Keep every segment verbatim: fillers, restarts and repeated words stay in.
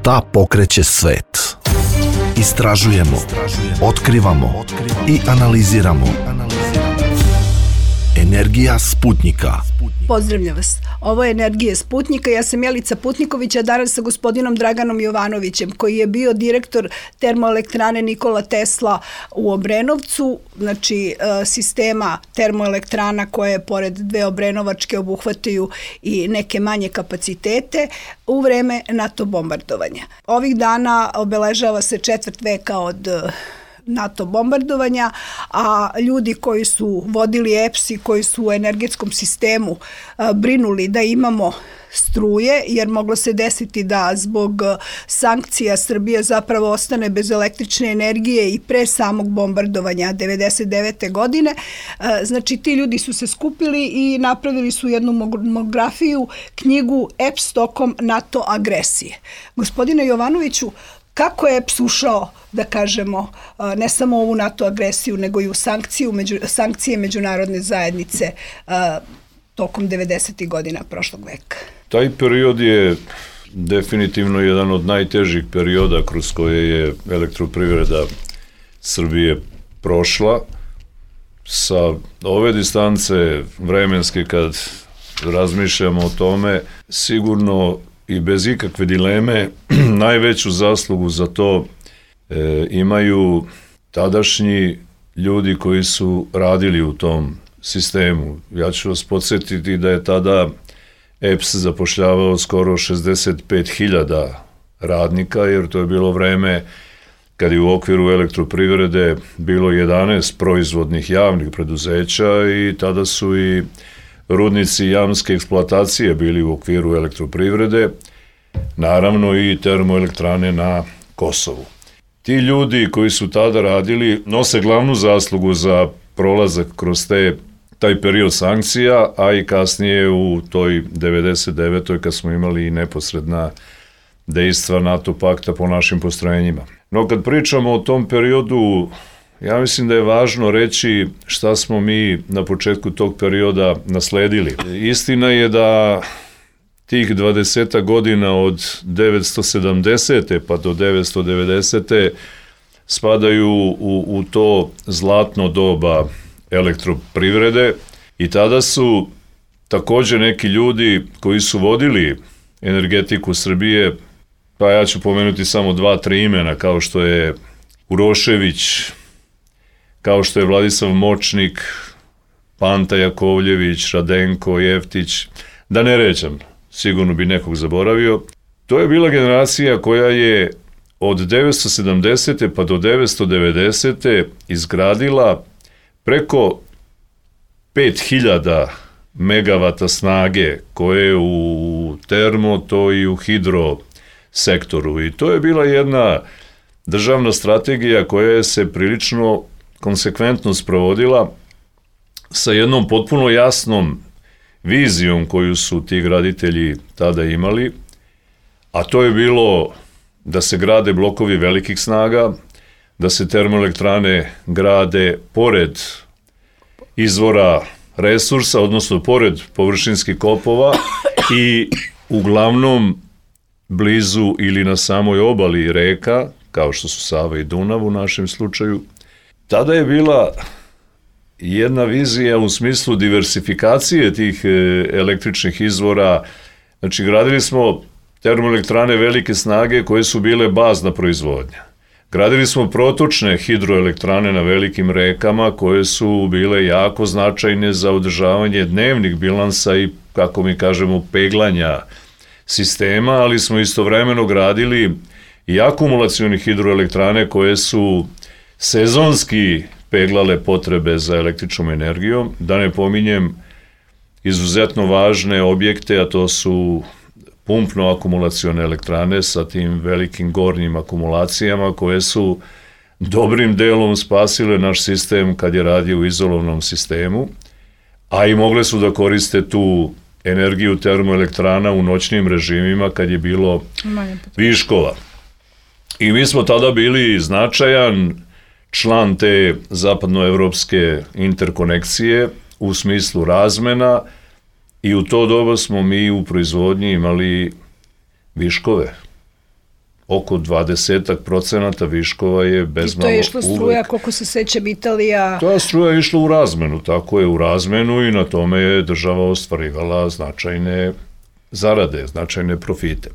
Šta pokreće svet? Istražujemo, otkrivamo i analiziramo. Energija Sputnjika. Pozdravljam vas. Ovo je Energija Sputnjika. Ja sam Jelica Putniković, a danas sa gospodinom Draganom Jovanovićem, koji je bio direktor termoelektrane Nikola Tesla u Obrenovcu, znači sistema termoelektrana koje pored dve obrenovačke obuhvataju i neke manje kapacitete u vreme NATO bombardovanja. Ovih dana obeležava se četvrt veka od NATO bombardovanja, a ljudi koji su vodili E P S i koji su u energetskom sistemu brinuli da imamo struje, jer moglo se desiti da zbog sankcija Srbija zapravo ostane bez električne energije i pre samog bombardovanja devedeset devete godine. Znači, ti ljudi su se skupili i napravili su jednu monografiju, knjigu E P S tokom NATO agresije. Gospodine Jovanoviću, kako je E P S ušao, da kažemo, ne samo u ovu NATO agresiju, nego i u sankciju, među, sankcije međunarodne zajednice a, tokom devedesetih godina prošlog veka? Taj period je definitivno jedan od najtežih perioda kroz koje je elektroprivreda Srbije prošla. Sa ove distance vremenske, kad razmišljamo o tome, sigurno i bez ikakve dileme najveću zaslugu za to e, imaju tadašnji ljudi koji su radili u tom sistemu. Ja ću vas podsjetiti da je tada E P S zapošljavao skoro šezdeset pet hiljada radnika, jer to je bilo vreme kad je u okviru elektroprivrede bilo jedanaest proizvodnih javnih preduzeća i tada su i rudnici jamske eksploatacije bili u okviru elektroprivrede, naravno i termoelektrane na Kosovu. Ti ljudi koji su tada radili nose glavnu zaslugu za prolazak kroz te, taj period sankcija, a i kasnije u toj devedeset devetoj kad smo imali i neposredna dejstva NATO pakta po našim postrojenjima. No kad pričamo o tom periodu, ja mislim da je važno reći šta smo mi na početku tog perioda nasledili. Istina je da tih dvadeset godina od devetsto sedamdesete pa do devetsto devedesete spadaju u, u to zlatno doba elektroprivrede i tada su takođe neki ljudi koji su vodili energetiku Srbije, pa ja ću pomenuti samo dva, tri imena, kao što je Urošević, kao što je Vladislav Močnik, Panta Jakovljević, Radenko Jeftić, da ne rećem, sigurno bi nekog zaboravio. To je bila generacija koja je od devetsto sedamdesete pa do devetsto devedesete izgradila preko pet hiljada megavata snage, koje u termo, to i u hidro sektoru. I to je bila jedna državna strategija koja je se prilično konsekventno sprovodila sa jednom potpuno jasnom vizijom koju su ti graditelji tada imali, a to je bilo da se grade blokovi velikih snaga, da se termoelektrane grade pored izvora resursa, odnosno pored površinskih kopova i uglavnom blizu ili na samoj obali reka, kao što su Sava i Dunav u našem slučaju. Tada je bila jedna vizija u smislu diversifikacije tih električnih izvora. Znači, gradili smo termoelektrane velike snage koje su bile bazna proizvodnja. Gradili smo protočne hidroelektrane na velikim rekama koje su bile jako značajne za održavanje dnevnih bilansa i, kako mi kažemo, peglanja sistema, ali smo istovremeno gradili i akumulacione hidroelektrane koje su sezonski peglale potrebe za električnom energijom, da ne pominjem izuzetno važne objekte, a to su pumpno-akumulacione elektrane sa tim velikim gornjim akumulacijama koje su dobrim delom spasile naš sistem kad je radio u izolovnom sistemu, a i mogle su da koriste tu energiju termoelektrana u noćnim režimima kad je bilo viškova. I mi smo tada bili značajan član te zapadnoevropske interkonekcije u smislu razmena i u to doba smo mi u proizvodnji imali viškove. oko dvadeset procenata viškova je bezmalo uvek. I to je išlo struja, koliko se sećam, Italija... Ta struja je išla u razmenu, tako je, u razmenu i na tome je država ostvarivala značajne zarade, značajne profite.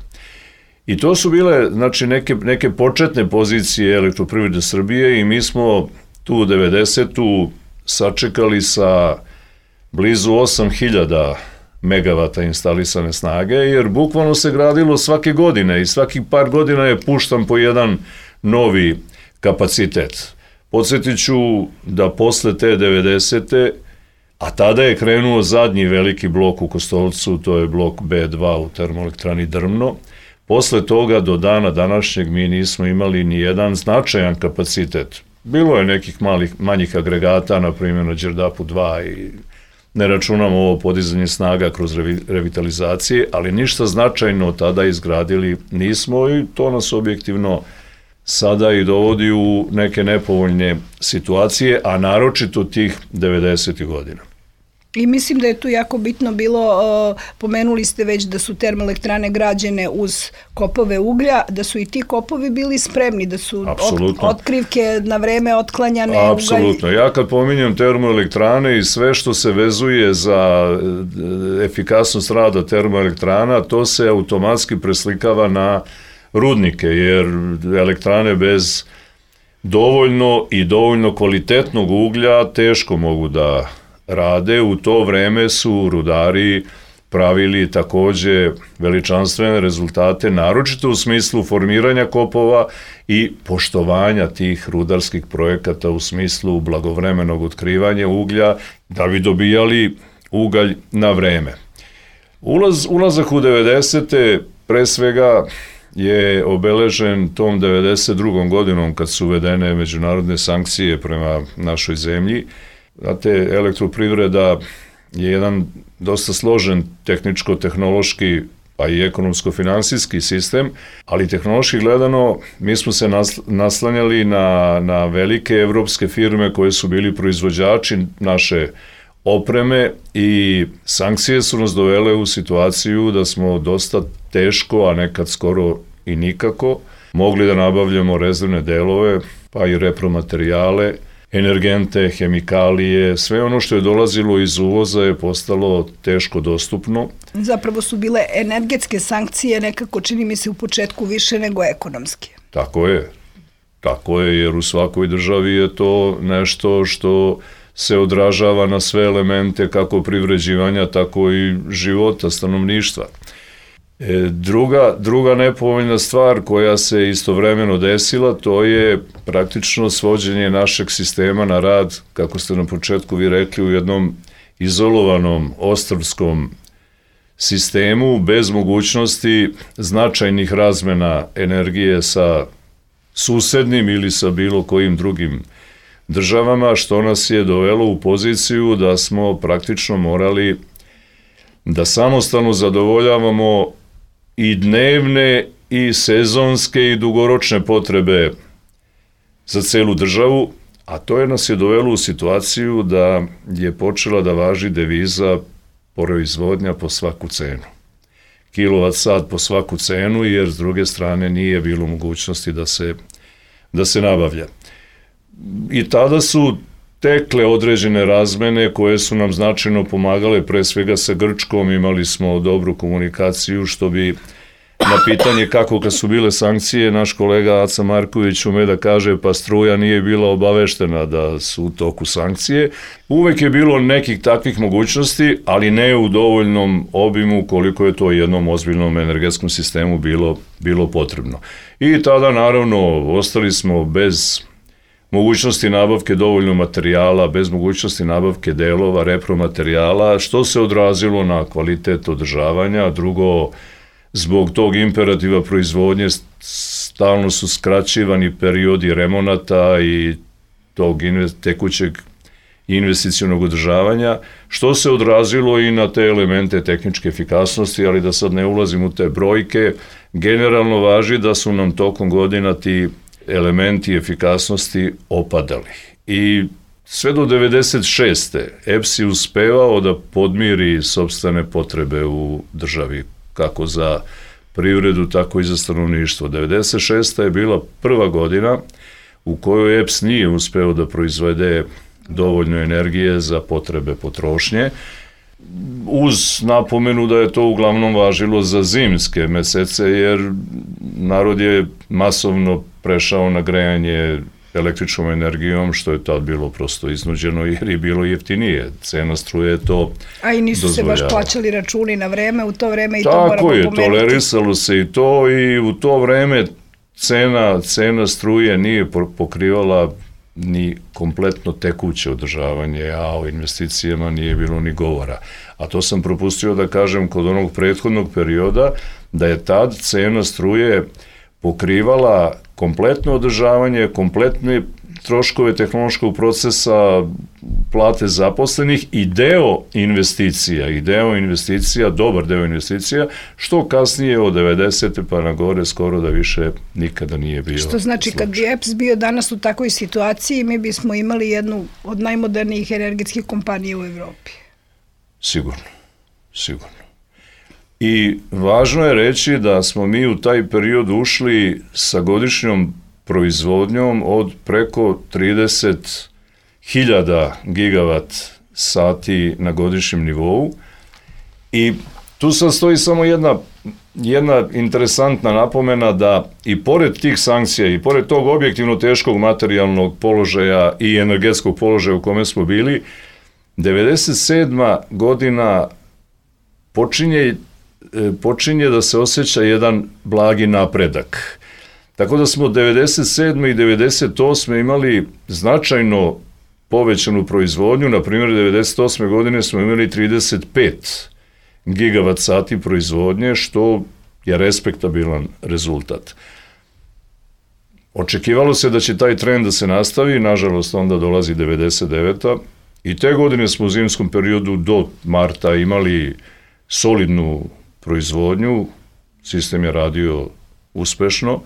I to su bile, znači, neke, neke početne pozicije Elektroprivrede Srbije i mi smo tu devedesetu sačekali sa blizu osam hiljada megavata instalisane snage, jer bukvalno se gradilo svake godine i svakih par godina je puštan po jedan novi kapacitet. Podsjetit ću da posle te devedesete, a tada je krenuo zadnji veliki blok u Kostolcu, to je blok B dva u termoelektrani Drmno, posle toga do dana današnjeg mi nismo imali ni jedan značajan kapacitet. Bilo je nekih malih, manjih agregata, na primjer na Đerdapu dva i ne računamo ovo podizanje snaga kroz revitalizacije, ali ništa značajno tada izgradili nismo i to nas objektivno sada i dovodi u neke nepovoljne situacije, a naročito tih devedesetih godina. I mislim da je tu jako bitno bilo, uh, pomenuli ste već da su termoelektrane građene uz kopove uglja, da su i ti kopovi bili spremni, da su ot, otkrivke na vreme otklanjane. Apsolutno. Ja kad pominjem termoelektrane i sve što se vezuje za efikasnost rada termoelektrana, to se automatski preslikava na rudnike, jer elektrane bez dovoljno i dovoljno kvalitetnog uglja teško mogu da rade. U to vreme su rudari pravili takođe veličanstvene rezultate, naročito u smislu formiranja kopova i poštovanja tih rudarskih projekata u smislu blagovremenog otkrivanja uglja, da bi dobijali ugalj na vreme. Ulaz, ulazak u devedesete pre svega je obeležen tom devedeset drugom godinom kad su uvedene međunarodne sankcije prema našoj zemlji. Znate, elektroprivreda je jedan dosta složen tehničko-tehnološki pa i ekonomsko-finansijski sistem, ali tehnološki gledano mi smo se naslanjali na, na velike evropske firme koje su bili proizvođači naše opreme i sankcije su nas dovele u situaciju da smo dosta teško, a nekad skoro i nikako, mogli da nabavljamo rezervne delove, pa i repromaterijale, energente, hemikalije, sve ono što je dolazilo iz uvoza je postalo teško dostupno. Zapravo su bile energetske sankcije nekako, čini mi se, u početku više nego ekonomske. Tako je, tako je, jer u svakoj državi je to nešto što se odražava na sve elemente kako privređivanja, tako i života stanovništva. E, druga, druga nepovoljna stvar koja se istovremeno desila, to je praktično svođenje našeg sistema na rad, kako ste na početku vi rekli, u jednom izolovanom ostrvskom sistemu bez mogućnosti značajnih razmena energije sa susednim ili sa bilo kojim drugim državama, što nas je dovelo u poziciju da smo praktično morali da samostalno zadovoljavamo i dnevne i sezonske i dugoročne potrebe za celu državu, a to je nas je dovelo u situaciju da je počela da važi deviza proizvodnja po svaku cenu. Kilovat sat po svaku cenu, jer s druge strane nije bilo mogućnosti da se, da se nabavlja. I tada su tekle određene razmene koje su nam značajno pomagale, pre svega sa Grčkom, imali smo dobru komunikaciju, što bi na pitanje kako kad su bile sankcije, naš kolega Aca Marković ume da kaže pa struja nije bila obaveštena da su u toku sankcije. Uvek je bilo nekih takvih mogućnosti, ali ne u dovoljnom obimu koliko je to jednom ozbiljnom energetskom sistemu bilo, bilo potrebno. I tada naravno ostali smo bez mogućnosti nabavke dovoljno materijala, bez mogućnosti nabavke delova, repromaterijala, što se odrazilo na kvalitet održavanja. Drugo, zbog tog imperativa proizvodnje stalno su skraćivani periodi remonata i tog tekućeg investicionog održavanja, što se odrazilo i na te elemente tehničke efikasnosti, ali da sad ne ulazim u te brojke, generalno važi da su nam tokom godina ti elementi efikasnosti opadali. I sve do devedeset šeste E P S je uspevao da podmiri sopstvene potrebe u državi, kako za privredu, tako i za stanovništvo. devedeset šesta je bila prva godina u kojoj E P S nije uspeo da proizvede dovoljno energije za potrebe potrošnje, uz napomenu da je to uglavnom važilo za zimske mesece, jer narod je masovno prešao na grejanje električnom energijom, što je tad bilo prosto iznuđeno jer je bilo jeftinije. Cena struje je to A i nisu dozvoljava. se baš plaćali računi na vreme u to vreme i to moramo Tako pomenuti. je, tolerisalo se i to i u to vreme cena, cena struje nije pokrivala ni kompletno tekuće održavanje, a o investicijama nije bilo ni govora. A to sam propustio da kažem kod onog prethodnog perioda, da je tad cena struje pokrivala kompletno održavanje, kompletne troškove tehnološkog procesa, plate zaposlenih i deo investicija, i deo investicija, dobar deo investicija, što kasnije od devedesete pa na gore skoro da više nikada nije bio. Što znači slučaj. kad bi E P S bio danas u takvoj situaciji, mi bismo imali jednu od najmodernijih energetskih kompanija u Evropi. Sigurno, sigurno. I važno je reći da smo mi u taj period ušli sa godišnjom proizvodnjom od preko trideset hiljada gigavat sati na godišnjem nivou i tu sad stoji samo jedna, jedna interesantna napomena da i pored tih sankcija i pored tog objektivno teškog materijalnog položaja i energetskog položaja u kome smo bili, devedeset sedma godina počinje, počinje da se osjeća jedan blagi napredak. Tako da smo devedeset sedme i devedeset osme imali značajno povećanu proizvodnju, na primjer devedeset osme godine smo imali trideset pet gigavat sati proizvodnje, što je respektabilan rezultat. Očekivalo se da će taj trend da se nastavi, nažalost onda dolazi devedeset deveta i te godine smo u zimskom periodu do marta imali solidnu proizvodnju, sistem je radio uspešno,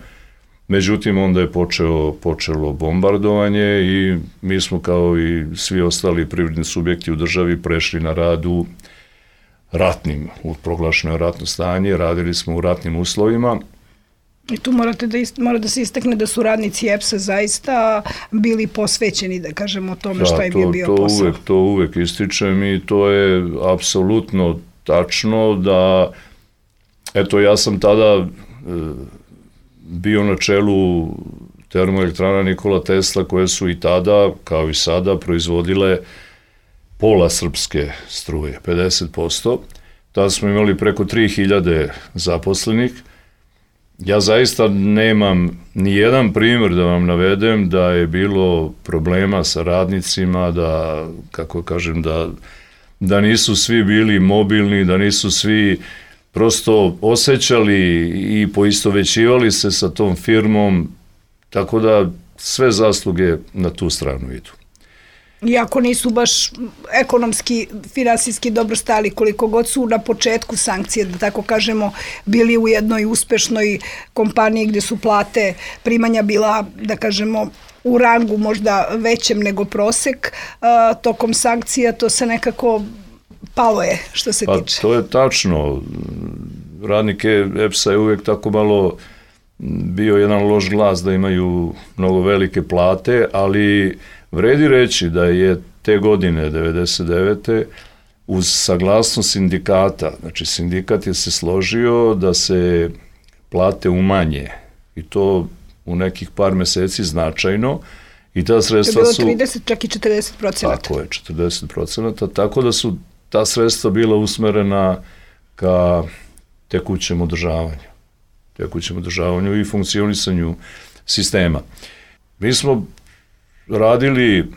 međutim onda je počeo, počelo bombardovanje i mi smo kao i svi ostali privredni subjekti u državi prešli na rad u ratnim, u proglašeno ratno stanje, radili smo u ratnim uslovima. I tu morate da ist, mora da se istakne da su radnici E P S-a zaista bili posvećeni, da kažemo, o tome šta im je bio to posao. Uvek, to uvek ističem i to je apsolutno tačno da, eto, ja sam tada e, bio na čelu termoelektrana Nikola Tesla, koje su i tada, kao i sada, proizvodile pola srpske struje, pedeset posto. Tada smo imali preko tri hiljade zaposlenih. Ja zaista nemam ni jedan primjer da vam navedem da je bilo problema sa radnicima, da, kako kažem, da, da nisu svi bili mobilni, da nisu svi prosto osjećali i poistovećivali se sa tom firmom, tako da sve zasluge na tu stranu idu. Iako nisu baš ekonomski, finansijski dobro stali, koliko god su na početku sankcije, da tako kažemo, bili u jednoj uspešnoj kompaniji gde su plate, primanja bila, da kažemo, u rangu možda većem nego prosek, a, tokom sankcija to se nekako palo je, što se pa, tiče. To je tačno. Radnike E P S-a je uvijek tako malo bio jedan loš glas da imaju mnogo velike plate, ali vredi reći da je te godine, devedeset devete uz saglasnost sindikata, znači sindikat je se složio da se plate umanje i to u nekih par meseci značajno i ta sredstva su... To je bilo trideset, čak i četrdeset procenata. Tako je, četrdeset procenata, tako da su ta sredstva bila usmerena ka tekućem održavanju, tekućem održavanju i funkcionisanju sistema. Mi smo radili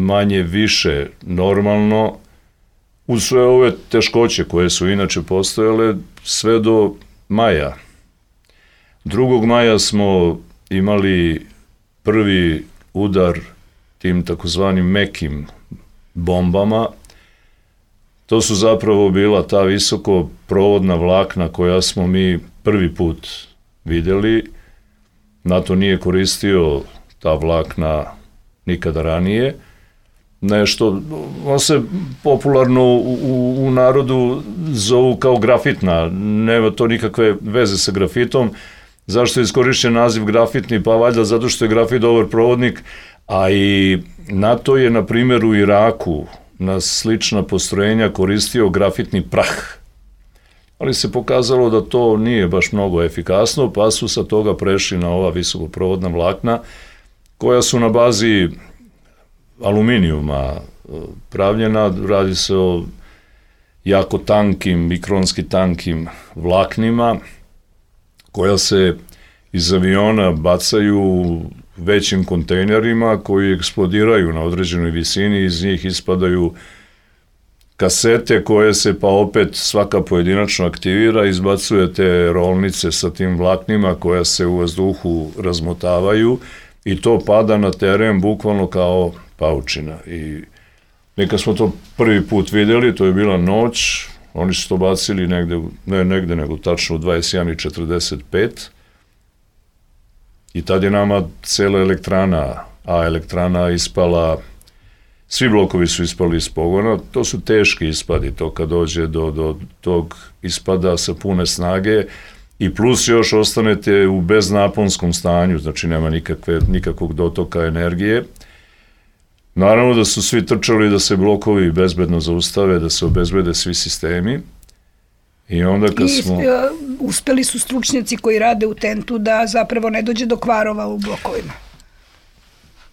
manje više normalno uz sve ove teškoće koje su inače postojale sve do maja. drugog maja smo imali prvi udar tim takozvanim mekim bombama. To su zapravo bila ta visoko provodna vlakna koja smo mi prvi put vidjeli. NATO nije koristio ta vlakna nikada ranije nešto, on se popularno u, u, u narodu zovu kao grafitna, nema to nikakve veze sa grafitom. Zašto je iskorišćen naziv grafitni? Pa valjda zato što je grafit dobar provodnik, a i NATO je, na primjer, u Iraku na slična postrojenja koristio grafitni prah. Ali se pokazalo da to nije baš mnogo efikasno, pa su sa toga prešli na ova visokoprovodna vlakna, koja su na bazi aluminijuma pravljena. Radi se o jako tankim, mikronski tankim vlaknima, koja se iz aviona bacaju većim kontejnerima koji eksplodiraju na određenoj visini, iz njih ispadaju kasete koje se pa opet svaka pojedinačno aktivira, izbacuje te rolnice sa tim vlaknima koja se u vazduhu razmotavaju i to pada na teren bukvalno kao paučina. I neka smo to prvi put vidjeli, to je bila noć, oni su to bacili negde, ne negde nego tačno u dvadeset jedan i četrdeset pet i tad je nama cela elektrana, a elektrana ispala, svi blokovi su ispali iz pogona, to su teški ispadi, to kad dođe do, do tog ispada sa pune snage i plus još ostanete u beznaponskom stanju, znači nema nikakve, nikakvog dotoka energije. Naravno da su svi trčali da se blokovi bezbedno zaustave, da se obezbede svi sistemi. I onda kad I, smo... I uspeli su stručnjaci koji rade u tentu da zapravo ne dođe do kvarova u blokovima.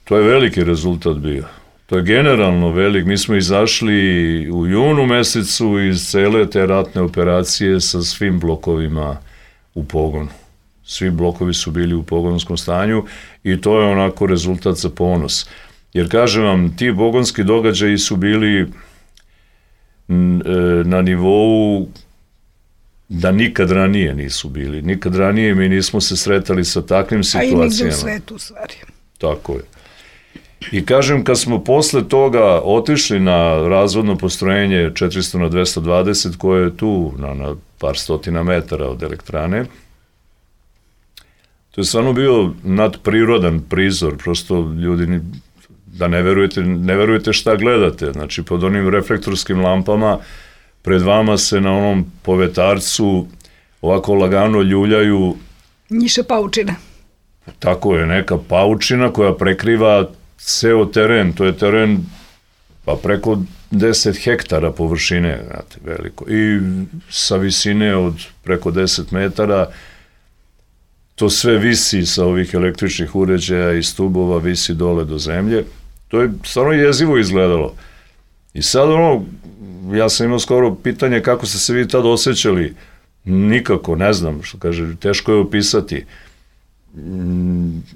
To je veliki rezultat bio. To je generalno velik. Mi smo izašli u junu mesecu iz cele te ratne operacije sa svim blokovima u pogonu. Svi blokovi su bili u pogonskom stanju i to je onako rezultat za ponos. Jer kažem vam, ti pogonski događaji su bili na nivou da nikad ranije nisu bili. Nikad ranije mi nismo se sretali sa takvim situacijama. A i nigde u svetu, u stvari. Tako je. I kažem, kad smo posle toga otišli na razvodno postrojenje četiristo na dvesta dvadeset, koje je tu na, na par stotina metara od elektrane, to je stvarno bio nadprirodan prizor, prosto ljudi, da ne verujete, ne verujete šta gledate, znači pod onim reflektorskim lampama pred vama se na onom povetarcu ovako lagano ljuljaju njiša paučina. Tako je, neka paučina koja prekriva ceo teren, to je teren pa preko deset hektara površine, znate, veliko, i sa visine od preko deset metara, to sve visi sa ovih električnih uređaja i stubova, visi dole do zemlje. To je stvarno jezivo izgledalo. I sad ono, ja sam imao skoro pitanje kako ste se vi tad osjećali. Nikako, ne znam, što kaže, teško je opisati.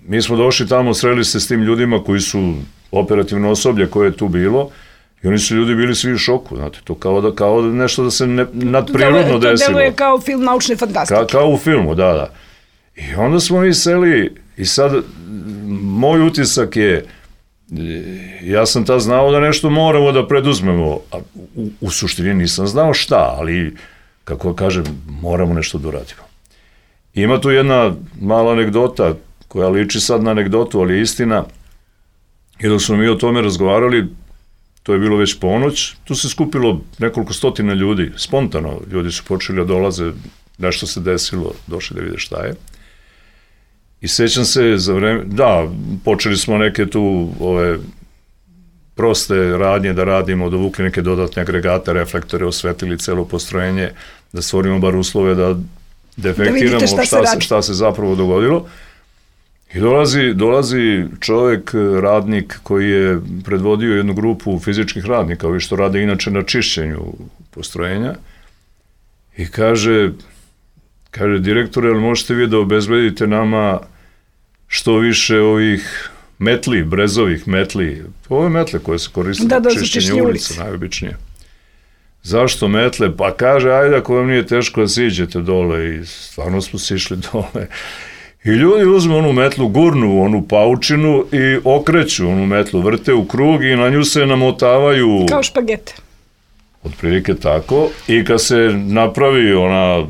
Mi smo došli tamo, sreli se s tim ljudima koji su operativno osoblje koje je tu bilo i oni su ljudi bili svi u šoku, znate, to kao da, kao da nešto da se ne, nadprirodno desilo. To deluje kao film naučne fantastike. Ka, kao u filmu, da, da. I onda smo mi seli i sad moj utisak je, ja sam tad znao da nešto moramo da preduzmemo, a u, u suštini nisam znao šta, ali kako kažem, moramo nešto da uradimo. Ima tu jedna mala anegdota koja liči sad na anegdotu, ali je istina. I dok smo mi o tome razgovarali, to je bilo već ponoć, tu se skupilo nekoliko stotina ljudi, spontano ljudi su počeli da dolaze, nešto se desilo, došli da vide šta je. I sećam se za vreme, da, počeli smo neke tu ove proste radnje da radimo, dovukli neke dodatne agregate, reflektore, osvetlili celo postrojenje, da stvorimo bar uslove da defektiramo da šta, šta, se, šta se zapravo dogodilo. I dolazi, dolazi čovek, radnik koji je predvodio jednu grupu fizičkih radnika, ovi što rade inače na čišćenju postrojenja, i kaže, kaže, direktore, ali možete vi da obezbedite nama što više ovih metli, brezovih metli, ove metle koje se koriste da, da, na čišćenju ulica, najobičnije. Zašto metle? Pa kaže, ajde ako vam nije teško da siđete dole, i stvarno smo sišli dole. I ljudi uzme onu metlu, gurnu onu paučinu i okreću onu metlu, vrte u krug i na nju se namotavaju... Kao špagete. Otprilike tako. I kad se napravi ona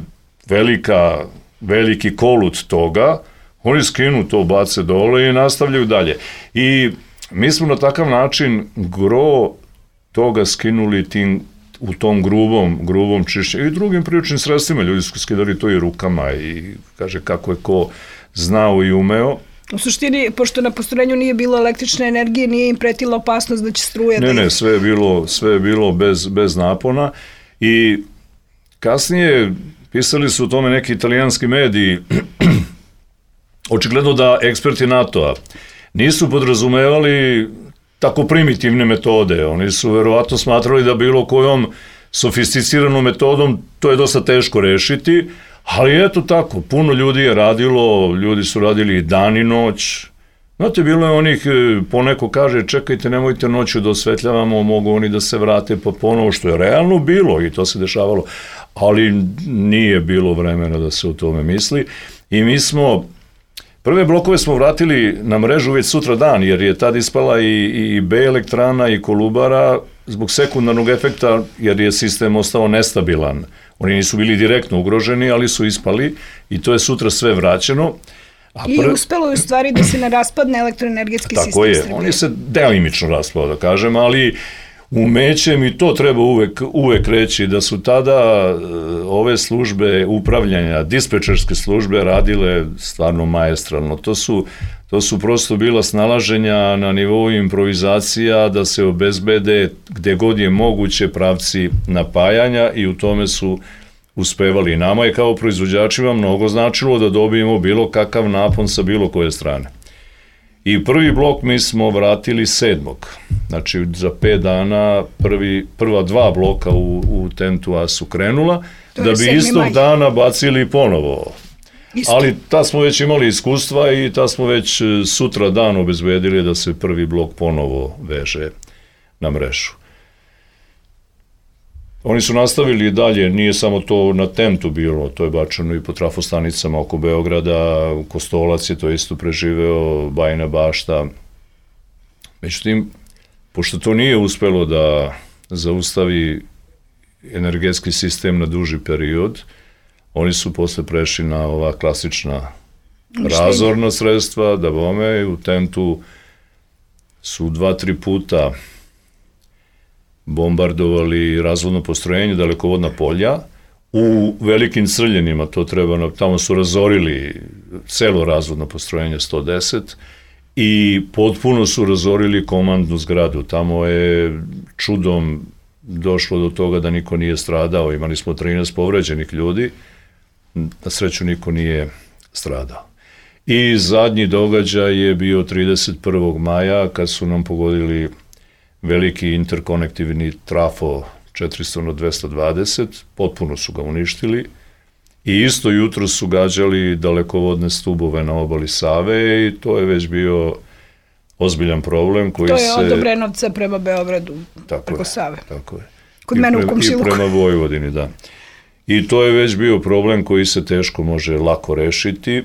velika, veliki kolut toga, oni skinu to, bace dole i nastavljaju dalje. I mi smo na takav način gro toga skinuli tim, u tom grubom, grubom čišćenju i drugim priručnim sredstvima. Ljudi su skidali to i rukama i kaže kako je ko znao i umeo. U suštini, pošto na postrojenju nije bilo električne energije, nije im pretila opasnost da će struja... Ne, ne, sve je bilo, sve je bilo bez, bez napona i kasnije pisali su o tome neki italijanski mediji, očigledno da eksperti NATO-a nisu podrazumevali tako primitivne metode. Oni su verovatno smatrali da bilo kojom sofisticiranom metodom to je dosta teško rešiti, ali eto tako, puno ljudi je radilo, ljudi su radili dan i noć. Znate, bilo je onih, poneko kaže, čekajte, nemojte noću da osvetljavamo, mogu oni da se vrate pa ponovo, što je realno bilo i to se dešavalo, ali nije bilo vremena da se o tome misli. I mi smo, prve blokove smo vratili na mrežu već sutra dan, jer je tad ispala i, i B elektrana i Kolubara zbog sekundarnog efekta, jer je sistem ostao nestabilan. Oni nisu bili direktno ugroženi, ali su ispali i to je sutra sve vraćeno. A I pr... uspelo je u stvari da se ne raspadne elektroenergetski sistem Srbije. Tako je, on je se delimično raspao, da kažem, ali umećem i to treba uvek, uvek reći da su tada ove službe upravljanja, dispečerske službe radile stvarno maestralno. To su, to su prosto bila snalaženja na nivou improvizacija da se obezbede gde god je moguće pravci napajanja i u tome su uspevali. Nama je kao proizvođačima mnogo značilo da dobijemo bilo kakav napon sa bilo koje strane. I prvi blok mi smo vratili sedmog. Znači, za pet dana prvi, prva dva bloka u, u Tentu A su krenula, da bi istog maj. dana bacili ponovo. Isto. Ali ta smo već imali iskustva i ta smo već sutra dan obezbedili da se prvi blok ponovo veže na mrežu. Oni su nastavili dalje, nije samo to na Tentu bilo, to je bačeno i po trafostanicama oko Beograda, Kostolac je to isto preživeo, Bajina Bašta. Međutim, pošto to nije uspelo da zaustavi energetski sistem na duži period, oni su posle prešli na ova klasična razorna sredstva, da bome, u Tentu su dva, tri puta bombardovali razvodno postrojenje, dalekovodna polja, u velikim Crljenima, to treba, tamo su razorili celo razvodno postrojenje sto deset i potpuno su razorili komandnu zgradu. Tamo je čudom došlo do toga da niko nije stradao, imali smo trinaest povređenih ljudi, na sreću niko nije stradao. I zadnji događaj je bio trideset prvog maja, kad su nam pogodili veliki interkonektivni trafo četiristo na dvesta dvadeset, potpuno su ga uništili i isto jutro su gađali dalekovodne stubove na obali Save i to je već bio ozbiljan problem koji se... To je se... od Obrenovca prema Beogradu, tako preko je, Save. Tako je. Kod I mene prema, u komšiluku. I prema Vojvodini, da. I to je već bio problem koji se teško može lako rešiti.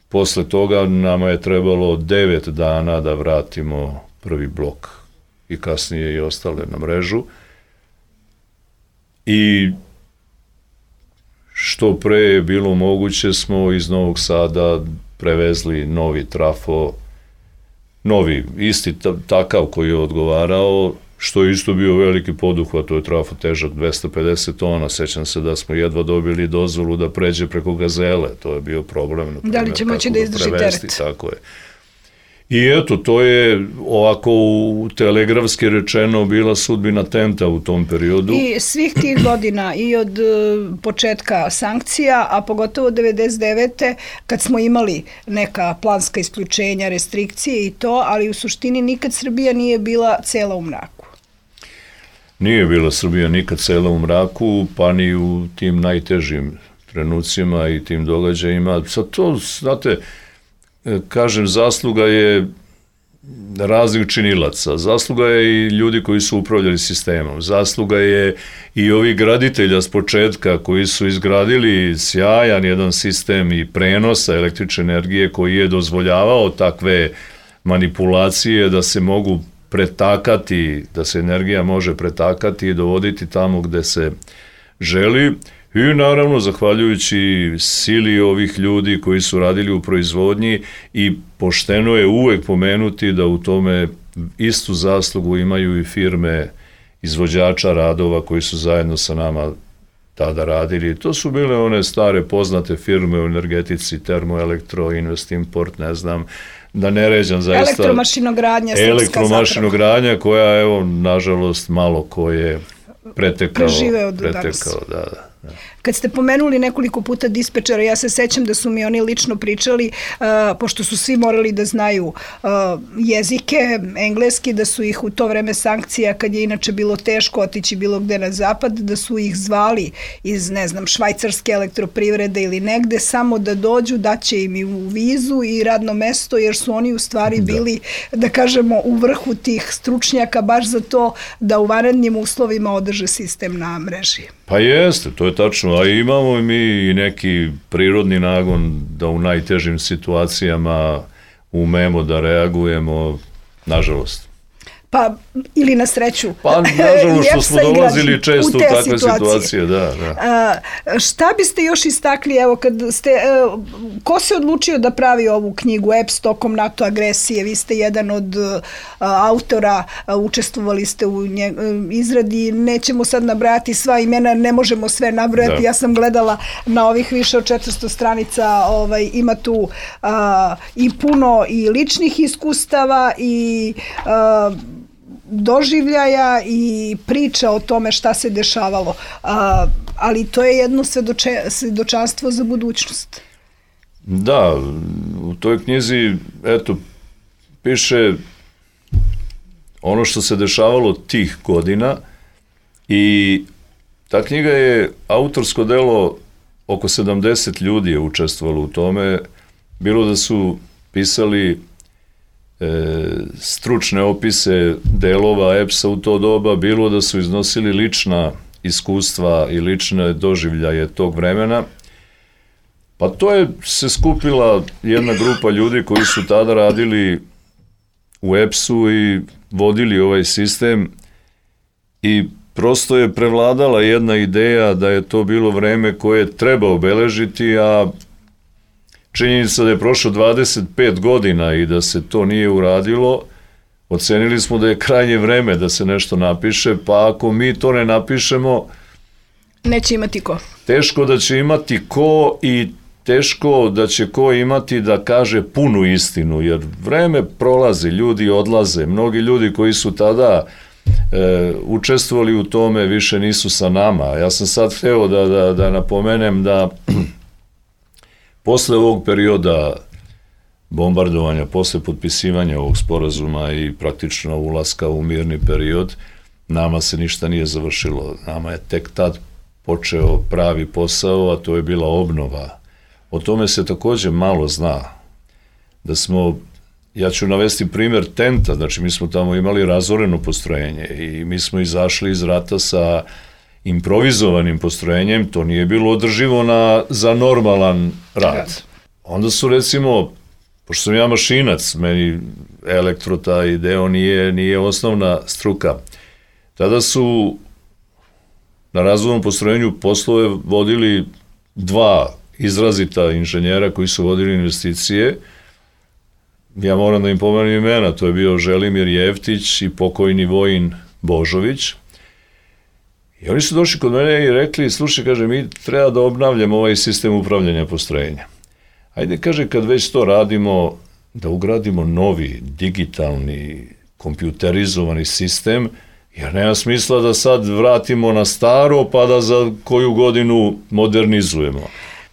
Posle toga nama je trebalo devet dana da vratimo prvi blok i kasnije i ostale na mrežu. I što pre je bilo moguće smo iz Novog Sada prevezli novi trafo, novi, isti takav koji je odgovarao, što je isto bio veliki poduhvat, to je trafo težak dvesta pedeset tona, sećam se da smo jedva dobili dozvolu da pređe preko Gazele, to je bio problem. Na da li će moći da izdrži teret? Tako je. I eto, to je ovako u telegrafski rečeno bila sudbina Tenta u tom periodu. I svih tih godina i od početka sankcija, a pogotovo devedeset devete kad smo imali neka planska isključenja, restrikcije i to, ali u suštini nikad Srbija nije bila cela u mraku. Nije bila Srbija nikad cela u mraku, pa ni u tim najtežim trenucima i tim događajima. Sad to, znate, kažem, zasluga je raznih činilaca, zasluga je i ljudi koji su upravljali sistemom, zasluga je i ovih graditelja s početka koji su izgradili sjajan jedan sistem i prenosa električne energije koji je dozvoljavao takve manipulacije da se mogu pretakati, da se energija može pretakati i dovoditi tamo gde se želi. I naravno, zahvaljujući sili ovih ljudi koji su radili u proizvodnji i pošteno je uvek pomenuti da u tome istu zaslugu imaju i firme izvođača radova koji su zajedno sa nama tada radili. To su bile one stare poznate firme u energetici, Termoelektro, Investimport, ne znam, da ne ređam zaista. Elektromašinogradnja, srpska Elektromašinogradnja koja, evo, nažalost, malo ko je pretekao. Preživeo do pretekao, danas. Da, da. Kad ste pomenuli nekoliko puta dispečera, ja se sećam da su mi oni lično pričali, uh, pošto su svi morali da znaju uh, jezike, engleski, da su ih u to vreme sankcija, kad je inače bilo teško otići bilo gde na zapad, da su ih zvali iz, ne znam, švajcarske elektroprivrede ili negde, samo da dođu, daće im i u vizu i radno mesto, jer su oni u stvari bili, da, da kažemo, u vrhu tih stručnjaka, baš za to da u vanrednim uslovima održe sistem na mreži. Pa jeste, to je tačno, a imamo mi i neki prirodni nagon da u najtežim situacijama umemo da reagujemo, nažalost. Pa, ili na sreću. Pa, nažalost, što smo dolazili često u takve situacije. situacije, da, da. A, šta biste još istakli, evo, kad ste, a, ko se odlučio da pravi ovu knjigu E P S tokom NATO agresije? Vi ste jedan od a, autora, a, učestvovali ste u nje, a, izradi, nećemo sad nabrajati sva imena, ne možemo sve nabrojati, da. Ja sam gledala na ovih više od četiristo stranica, ovaj, ima tu a, i puno i ličnih iskustava i a, doživljaja i priča o tome šta se dešavalo, a, ali to je jedno svedoče, svedočanstvo za budućnost. Da, u toj knjizi, eto, piše ono što se dešavalo tih godina i ta knjiga je autorsko delo, oko sedamdeset ljudi je učestvovalo u tome, bilo da su pisali E, stručne opise delova E P S-a u to doba, bilo da su iznosili lična iskustva i lične doživljaje tog vremena. Pa to je se skupila jedna grupa ljudi koji su tada radili u E P S-u i vodili ovaj sistem i prosto je prevladala jedna ideja da je to bilo vreme koje treba obeležiti, a činjenica da je prošlo dvadeset pet godina i da se to nije uradilo, ocenili smo da je krajnje vreme da se nešto napiše, pa ako mi to ne napišemo, neće imati ko. Teško da će imati ko i teško da će ko imati da kaže punu istinu, jer vreme prolazi, ljudi odlaze, mnogi ljudi koji su tada e, učestvovali u tome više nisu sa nama. Ja sam sad hteo da, da, da napomenem da posle ovog perioda bombardovanja, posle potpisivanja ovog sporazuma i praktično ulaska u mirni period, nama se ništa nije završilo. Nama je tek tad počeo pravi posao, a to je bila obnova. O tome se takođe malo zna. Da smo, ja ću navesti primer Tenta, znači mi smo tamo imali razoreno postrojenje i mi smo izašli iz rata sa improvizovanim postrojenjem, to nije bilo održivo na, za normalan rad. Onda su, recimo, pošto sam ja mašinac, meni elektro taj deo nije, nije osnovna struka, tada su na razvojnom postrojenju poslove vodili dva izrazita inženjera koji su vodili investicije. Ja moram da im pomenem imena, to je bio Želimir Jeftić i pokojni Vojin Božović. I oni su došli kod mene i rekli, slušaj, kaže, mi treba da obnavljamo ovaj sistem upravljanja postrojenja. Ajde, kaže, kad već to radimo, da ugradimo novi, digitalni, kompjuterizovani sistem, jer nema smisla da sad vratimo na staro, pa da za koju godinu modernizujemo.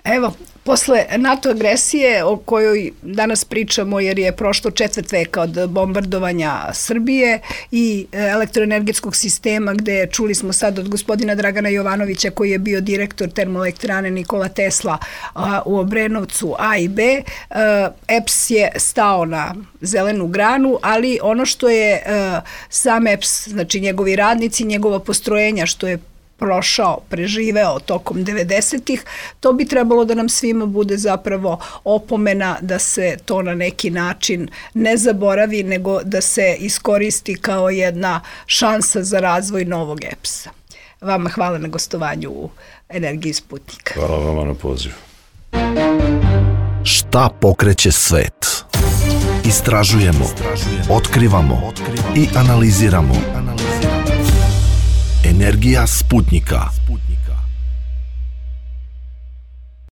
Evo, posle NATO agresije o kojoj danas pričamo, jer je prošlo četvrt veka od bombardovanja Srbije i elektroenergetskog sistema, gde čuli smo sad od gospodina Dragana Jovanovića koji je bio direktor termoelektrane Nikola Tesla a, u Obrenovcu A i B, a, E P S je stao na zelenu granu, ali ono što je a, sam E P S, znači njegovi radnici, njegova postrojenja, što je prošao, preživeo tokom devedesetih, to bi trebalo da nam svima bude zapravo opomena da se to na neki način ne zaboravi, nego da se iskoristi kao jedna šansa za razvoj novog E P S-a. Vama hvala na gostovanju u Energiji Sputnika. Hvala vama na pozivu. Šta pokreće svet? Istražujemo, otkrivamo i analiziramo. Energija Sputnika.